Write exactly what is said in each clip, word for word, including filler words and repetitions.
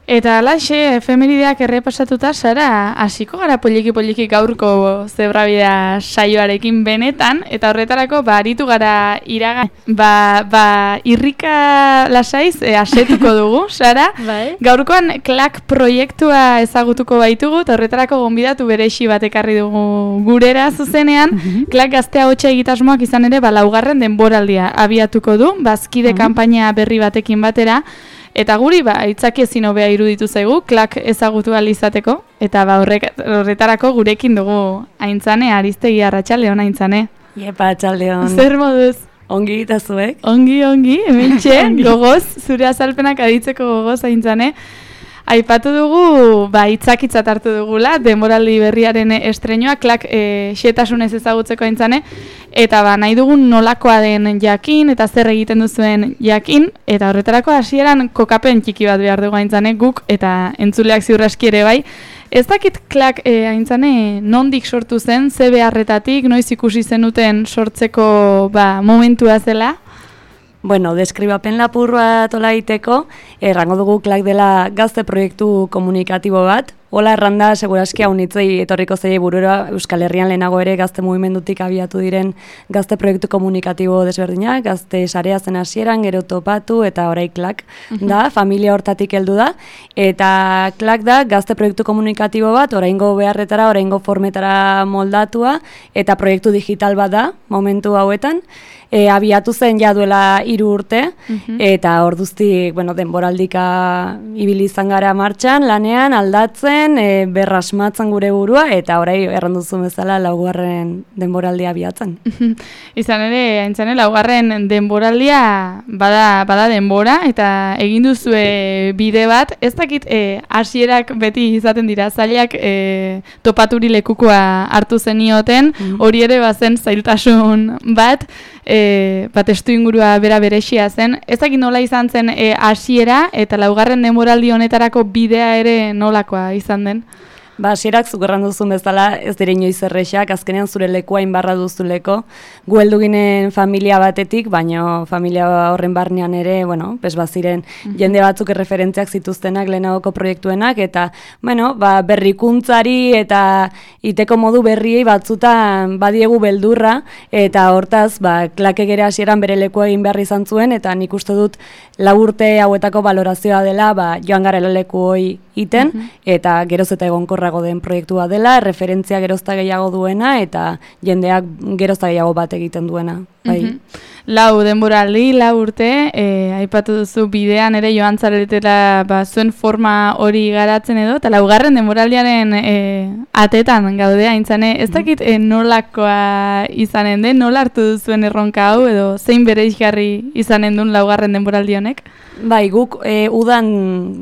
Eta alaxe, efemerideak errepasatuta, Sara, hasiko gara poliki-poliki gaurko zebrabidea saioarekin benetan, eta horretarako, ba, aritu gara iraga, ba, ba, irrika lasaiz, e, asetuko dugu, Sara. Bai. Gaurkoan, klak proiektua ezagutuko baitugu, eta horretarako gonbidatu berexi bat ekarri dugu gurera zuzenean, klak gaztea hotxa egitasmoak izan ere, ba, laugarren denboraldia abiatuko du, bazkide kanpaina berri batekin batera, eta guri, ba, itzaki ezin hobea iruditu zaigu, klak ezagutu ahal izateko, eta ba, horrek, horretarako gurekin dugu Aintzane, Aristegi Arratsaldeon Aintzane. Iepa, Arratsaldeon. Zer moduz? Ongi eta zuek? Ongi, ongi, hementxe, gogoz, zure azalpenak aditzeko gogoz Aintzane. Aipatu dugu, ba, itzakitzat hartu dugula, denboraldi berriaren estreinoa, klak e, xetasunez ezagutzeko Aintzane, eta ba, nahi dugun nolakoa den jakin, eta zer egiten duzuen jakin, eta horretarako hasieran kokapen txiki bat behar dugu Aintzane, guk, eta entzuleak ziurraski ere bai. Ez dakit klak e, Aintzane nondik sortu zen, ze beharretatik, noiz ikusi zenuten sortzeko ba, momentua zela? Bueno, deskribapen lapur bat ola iteko, errango dugu klak dela gazte proiektu komunikatibo bat. Hola erranda, seguraski haunitzei etorriko zei burura Euskal Herrian lehenago ere gazte mugimendutik abiatu diren gazte proiektu komunikatibo desberdinak, gazte sarea zen hasieran, gero topatu eta orai klak da, familia hortatik heldu da. Eta klak da gazte proiektu komunikatibo bat, oraingo beharretara, oraingo formetara moldatua, eta proiektu digital bat da, momentu hauetan. E, abiatu zen ja duela hiru urte, eta orduztik, bueno, denboraldika ibili izan gara martxan, lanean, aldatzen, e, berrasmatzen gure burua, eta orai erranduzu bezala laugarren denboraldia abiatzen. Izan ere, Aintzane, laugarren denboraldia bada, bada denbora, eta egin duzue bide bat, ez dakit e, hasierak beti izaten dira, zailak e, topaturi lekukoa hartu zenioten, hori ere bazen zailtasun bat, E, bat estu ingurua bera berexia zen. Ez dakit nola izan zen hasiera e, eta laugarren denboraldi honetarako bidea ere nolakoa izan den? Ba, hasierak zukerran duzun bezala ez dire inoiz errexak, azkenean zure lekua inbarra duzuleko. Gu heldu ginen familia batetik, baina familia horren barnean ere, bueno, pes baziren jende batzuk erreferentziak zituztenak lehenagoko proiektuenak, eta, bueno, ba, berrikuntzari eta iteko modu berriei batzutan badiegu beldurra, eta hortaz, ba, klakek ere hasieran bere lekua egin behar izan zuen, eta nik uste dut lau urte hauetako valorazioa dela, ba, joan garela leku hoi iten, eta geroz eta egonkorrago den proiektua dela, referentzia gerozta gehiago duena, eta jendeak gerozta gehiago bat egiten duena. Bai. Mm-hmm. Lau denboraldi, lau urte, e, aipatu duzu bidean ere joan zaretela ba, zuen forma hori garatzen edo, eta laugarren denboraldiaren e, atetan gaude Aintzane, ez dakit e, nolakoa izanen den, nola hartu duzuen erronka hau, edo zein bereizgarri izanen duen laugarren denboraldi honek? Bai, guk e, udan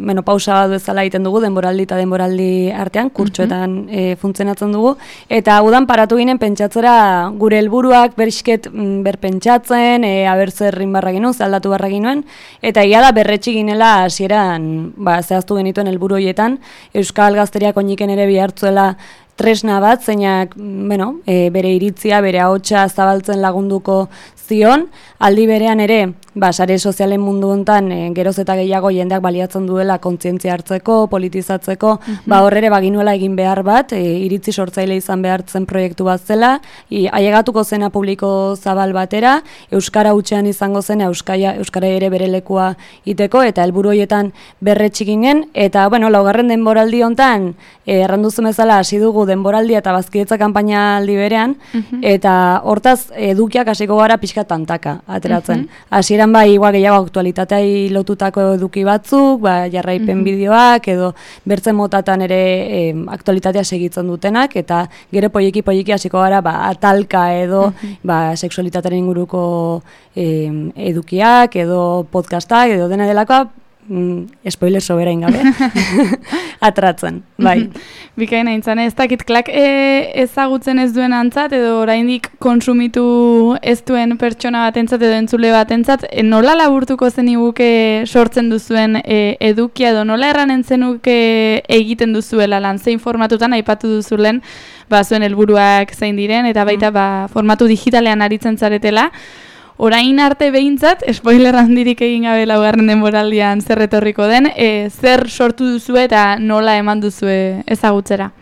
menopausa bat bezala egiten dugu, denboraldi eta denboraldi artean, kurtsuetan e, funtzionatzen dugu, eta udan paratu ginen pentsatzera gure helburuak bersket berpentsatzen, e, aber zer inbarra ginen, aldatu barra ginen, eta ia da berretxi ginela hasieran ba, zehaztu genituen helburu horietan, Euskal Gazteriak oiniken ere bihartzuela tresna bat, zeinak bueno, e, bere iritzia, bere ahotsa zabaltzen lagunduko zion, aldi berean ere, ba, sare sozialen mundu hontan e, geroz eta gehiago jendeak baliatzen duela kontzientzia hartzeko, politizatzeko, mm-hmm. ba horrere baginuela egin behar bat, e, iritzi sortzaile izan behartzen proiektu bat zela, i, ailegatuko zena publiko zabal batera, euskara hutsean izango zena euskaia, euskara ere bere lekua iteko, eta helburu horietan berretsi ginen, eta bueno, laugarren denboraldi hontan, e, erranduzu bezala hasi dugu denboraldia eta bazkidetza kanpaina aldi berean, mm-hmm. eta hortaz edukiak hasiko gara pixka tantaka ateratzen. Mm-hmm. Hasieran bai, igual gehiago aktualitateai lotutako eduki batzuk, ba, jarraipen mm-hmm. bideoak, edo bertzen motatan ere e, aktualitatea segitzen dutenak, eta gero poieki poieki hasiko gara ba, atalka edo mm-hmm. ba, seksualitatearen inguruko e, edukiak, edo podcastak, edo dena delakoa, mm, spoiler soberain gabe, atratzen, bai. Bikaina Aintzane, ez dakit klak e, ezagutzen ez duen antzat, edo oraindik konsumitu ez duen pertsona batentzat edo entzule batentzat, e, nola laburtuko zeniguke sortzen duzuen e, edukia, edo nola erranen zenuke egiten duzuela lan, zein formatutan aipatu duzulen, ba, zuen helburuak zein diren, eta baita ba, formatu digitalean aritzen zaretela. orain arte behintzat, spoiler handirik egin gabe laugarren denboraldian zer etorriko den, e, zer sortu duzue eta nola eman duzue ezagutzera?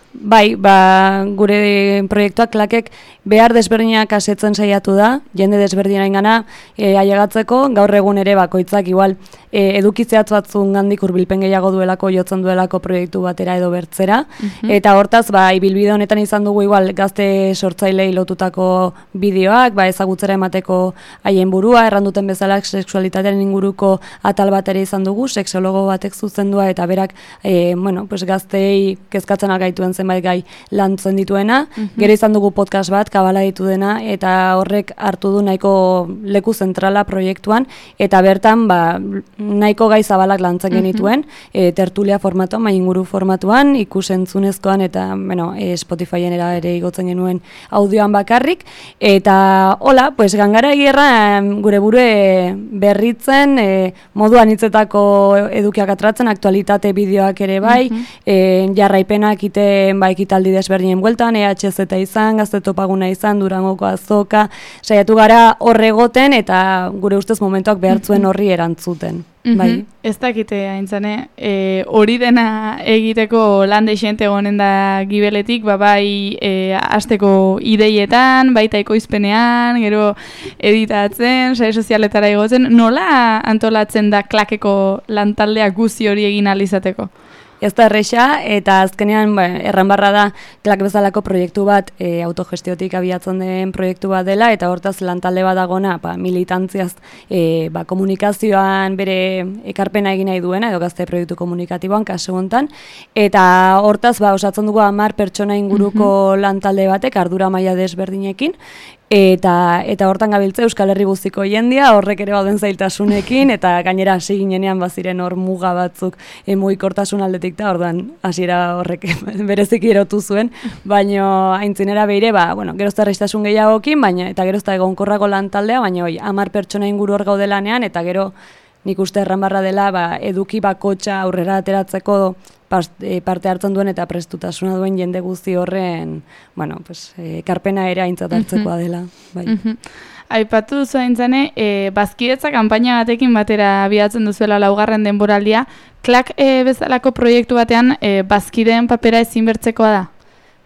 Bai, ba, gure proiektuak klakek behar desberdinak asetzen saiatu da, jende desberdinain gana e, ailegatzeko, gaur egun ere bakoitzak igual e, edukitzeatz batzun gandik hurbilpen gehiago duelako, jotzen duelako proiektu batera edo bertzera, uh-huh. eta hortaz, ba, ibilbide honetan izan dugu igual gazte sortzailei lotutako bideoak, ba, ezagutzera emateko haien burua, erranduten bezala sexualitatearen inguruko atal bat ere izan dugu, sexologo batek zuzendua eta berak, e, bueno, pues gaztei kezkatzen algaituen zenbait gai lantzen dituena, uh-huh. gero izan dugu podcast bat, kabala ditu dena, eta horrek hartu du nahiko leku zentrala proiektuan, eta bertan ba, nahiko gai zabalak lantzen genituen, uh-huh. e, tertulia formatuan, mai inguru formatuan, ikusentzunezkoan, eta bueno, e, Spotifyen era ere igotzen genuen audioan bakarrik, eta hola, pues gangara egierra gure burue berritzen, e, modu anitzetako edukiak atratzen, aktualitate bideoak ere bai, uh-huh. e, jarraipenak ite ba, ekitaldi desberdinen bueltan, E H Z izan, Gazte Topaguna izan, Durangoko azoka, saiatu gara horregoten eta gure ustez momentuak behartzuen horri erantzuten. Mm-hmm. Bai. Ez dakite haintzane, e, hori dena egiteko lan deixente gonen da gibeletik, ba, bai e, asteko ideietan, baita ekoizpenean, gero editatzen, sare sozialetara igotzen, nola antolatzen da klakeko lantaldea guzi hori egin alizateko? Ez da erresa, eta azkenean ba, erranbarra da klak bezalako proiektu bat e, autogestiotik abiatzen den proiektu bat dela, eta hortaz lantalde bat dagona ba, militantziaz e, ba, komunikazioan bere ekarpena egin nahi duena, edo gazte proiektu komunikatiboan, kasu hontan, eta hortaz ba, osatzen dugu hamar pertsona inguruko mm-hmm. lantalde batek, ardura maila desberdinekin, Eta, eta hortan gabiltze Euskal Herri guztiko jendia, horrek ere bauden zailtasunekin, eta gainera hasi ginenean baziren hor muga batzuk e, mugikortasun aldetik da, orduan hasiera horrek bereziki erotu zuen, baina aintzinera behire, ba, bueno, gerozta errestasun gehiagokin, baina eta gerozta egonkorrako lantaldea, baina hoi, hamar pertsona inguru hor gaudelanean, eta gero nik uste erranbarra dela ba, eduki bakotxa aurrera ateratzeko parte hartzen duen eta prestutasuna duen jende guzti horren, bueno, pues, e, karpena ere aintzat hartzekoa dela. Bai. Mm-hmm. Aipatu duzu aintzane, e, bazkidetza kanpaina batekin batera abiatzen duzuela laugarren denboraldia, klak e, bezalako proiektu batean e, bazkideen papera ezinbertzekoa da?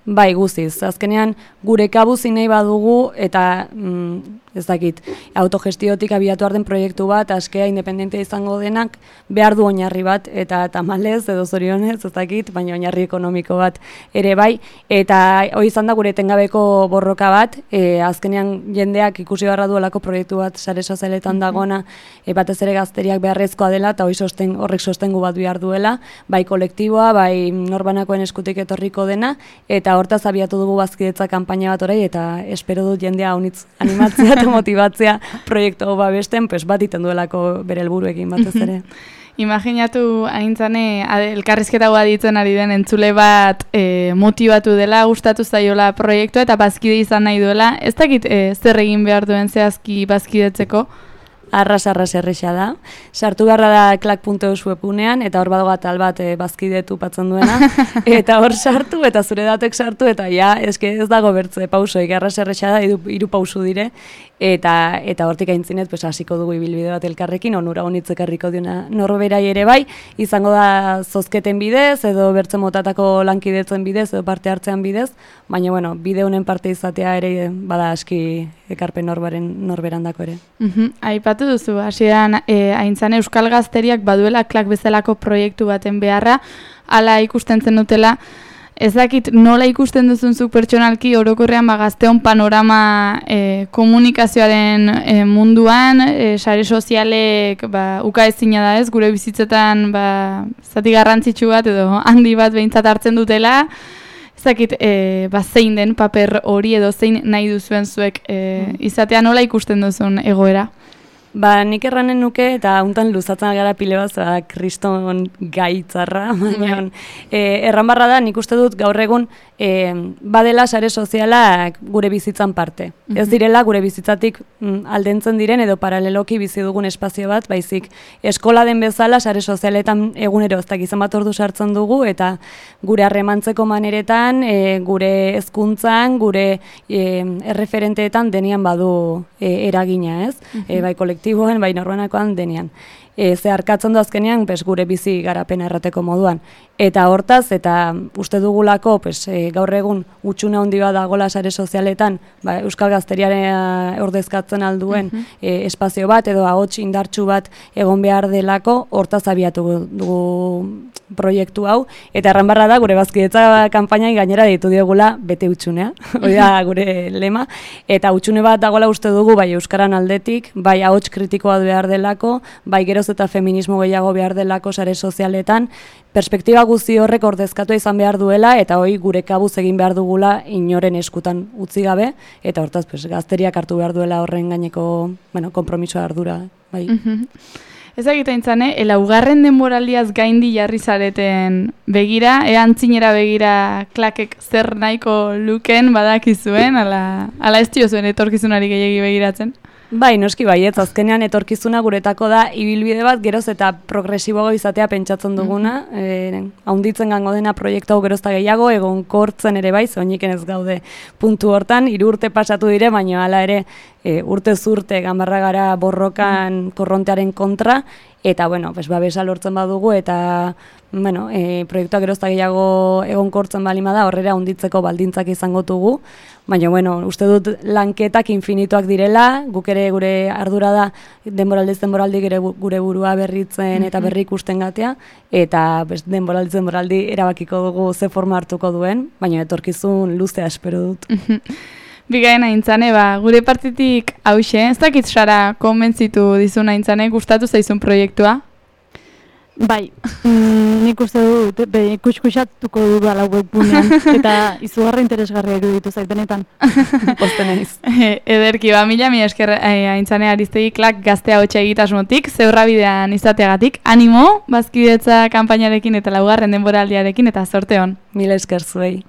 Bai, guztiz. Azkenean, gure kabuzi nahi badugu eta mm, ez dakit, autogestiotik abiatu arden proiektu bat, askea independentea izango denak, behar du oinarri bat, eta tamalez edo zorionez, ez dakit, baina oinarri ekonomiko bat ere bai, eta hori izan da gure etengabeko borroka bat, e, azkenean jendeak ikusi beharra duelako proiektu bat sare sozialetan dagona, e, batez ere gazteriak beharrezkoa dela, eta hori sosten, horrek sostengu bat behar duela, bai kolektiboa, bai norbanakoen eskutik etorriko dena, eta hortaz abiatu dugu bazkidetza kanpaina bat orai, eta espero dut jendea honitz animatzea eta motibatzea proiektu hau babesten, pues bat iten duelako bere helburuekin batez ere. Imaginatu aintzane elkarrizketa hau aditzen ari den entzule bat e, motivatu dela, gustatu zaiola proiektua eta bazkide izan nahi duela. Ez dakit e, zer egin behar duen zehazki bazkidetzeko? Arras-arras erresa da. Sartu beharra da klak puntu eus webunean, eta hor badago atal bat e, bazkidetu patzen duena, eta hor sartu, eta zure datek sartu, eta ja, eske ez dago bertze pausoik, arras erresa da, hiru, hiru pausu dire, eta eta hortik aintzinet, pues, hasiko dugu ibilbide bat elkarrekin, onura honitz ekarriko diona norberai ere bai, izango da zozketen bidez, edo bertze motatako lankidetzen bidez, edo parte hartzean bidez, baina, bueno, bide honen parte izatea ere bada aski ekarpen norbaren norberandako ere. Mm-hmm. Aipatu duzu, hasieran e, aintzane euskal gazteriak baduela klak bezalako proiektu baten beharra, hala ikusten zen dutela, ez dakit nola ikusten duzun zuk pertsonalki orokorrean ba, gazteon panorama e, komunikazioaren e, munduan, e, sare sozialek ba, uka ezina da ez, gure bizitzetan ba, zati garrantzitsu bat edo handi bat behintzat hartzen dutela, ez dakit e, ba, zein den paper hori edo zein nahi duzuen zuek e, izatea nola ikusten duzun egoera? Ba, nik erranen nuke, eta hontan luzatzen gara pile bat, ba, kriston gaitzarra, baina e, erran barra da, nik uste dut gaur egun e, badela sare sozialak gure bizitzan parte. Mm-hmm. Ez direla gure bizitzatik mm, aldentzen diren edo paraleloki bizi dugun espazio bat, baizik eskola den bezala sare sozialetan egunero ez dakizan bat ordu sartzen dugu, eta gure harremantzeko maneretan, e, gure hezkuntzan, gure e, erreferenteetan denian badu e, eragina, ez? Mm-hmm. E, bai kolektiboen, bai norbanakoan denean. E, ze harkatzen du azkenean pes, gure bizi garapena errateko moduan. Eta hortaz, eta uste dugulako pes, e, gaur egun utxune handi bat dagoela sare sozialetan, ba, Euskal Gazteriaren ordezkatzen alduen mm-hmm. e, espazio bat, edo ahots indartsu bat egon behar delako, hortaz abiatu dugu proiektu hau, eta erran barra da, gure bazkidetza kanpainai gainera ditu diogula bete utxunea, hori da gure lema, eta utxune bat dagoela uste dugu, bai Euskaran aldetik, bai ahots kritikoa behar delako, bai geroz eta feminismo gehiago behar delako sare sozialetan, perspektiba guzti horrek ordezkatu izan behar duela, eta hori gure kabuz egin behar dugula inoren eskutan utzi gabe, eta hortaz pues, gazteriak hartu behar duela horren gaineko bueno, konpromisoa ardura. Bai. Mm-hmm. Ez egiten zane, elaugarren denboraldiaz gaindi jarri zareten begira, ean txinera begira klakek zer nahiko luken badakizuen, ala, ala ez zuen etorkizunari gehiagi begiratzen? Bai, noski baietz, azkenean etorkizuna guretako da ibilbide bat geroz eta progresiboago izatea pentsatzen duguna, mm-hmm. e, haunditzen gango dena proiektu hau gerozta gehiago, egon kortzen ere bai, zoiniken ez gaude puntu hortan, hiru urte pasatu dire, baina hala ere e, urte zurte ganbarra gara borrokan korrontearen kontra, eta bueno, pues, babesa lortzen badugu, eta bueno, e, proiektua gerozta gehiago egon kortzen balima da, horrera haunditzeko baldintzak izango dugu, baina, bueno, uste dut lanketak infinituak direla, guk ere gure ardura da denboraldiz denboraldi gure burua berritzen eta berri ikusten gatea, eta pues, denboraldiz denboraldi erabakiko dugu ze forma hartuko duen, baina etorkizun luzea espero dut. Bigaien aintzane, ba, gure partitik hause, ez dakit Sara konbentzitu dizun aintzane, gustatu zaizun proiektua? Bai, mm, nik uste dut, be, kuskusatuko dudala webgunean, eta izugarra interesgarria iruditu zait benetan. Posten naiz. Ederki, ba, mila mila esker aintzane Aristegi klak gaztea hotxa egitasmotik, zeurra bidean izateagatik, animo, bazkidetza kanpainarekin eta laugarren denboraldiarekin, eta zorte hon. Mila esker zuei.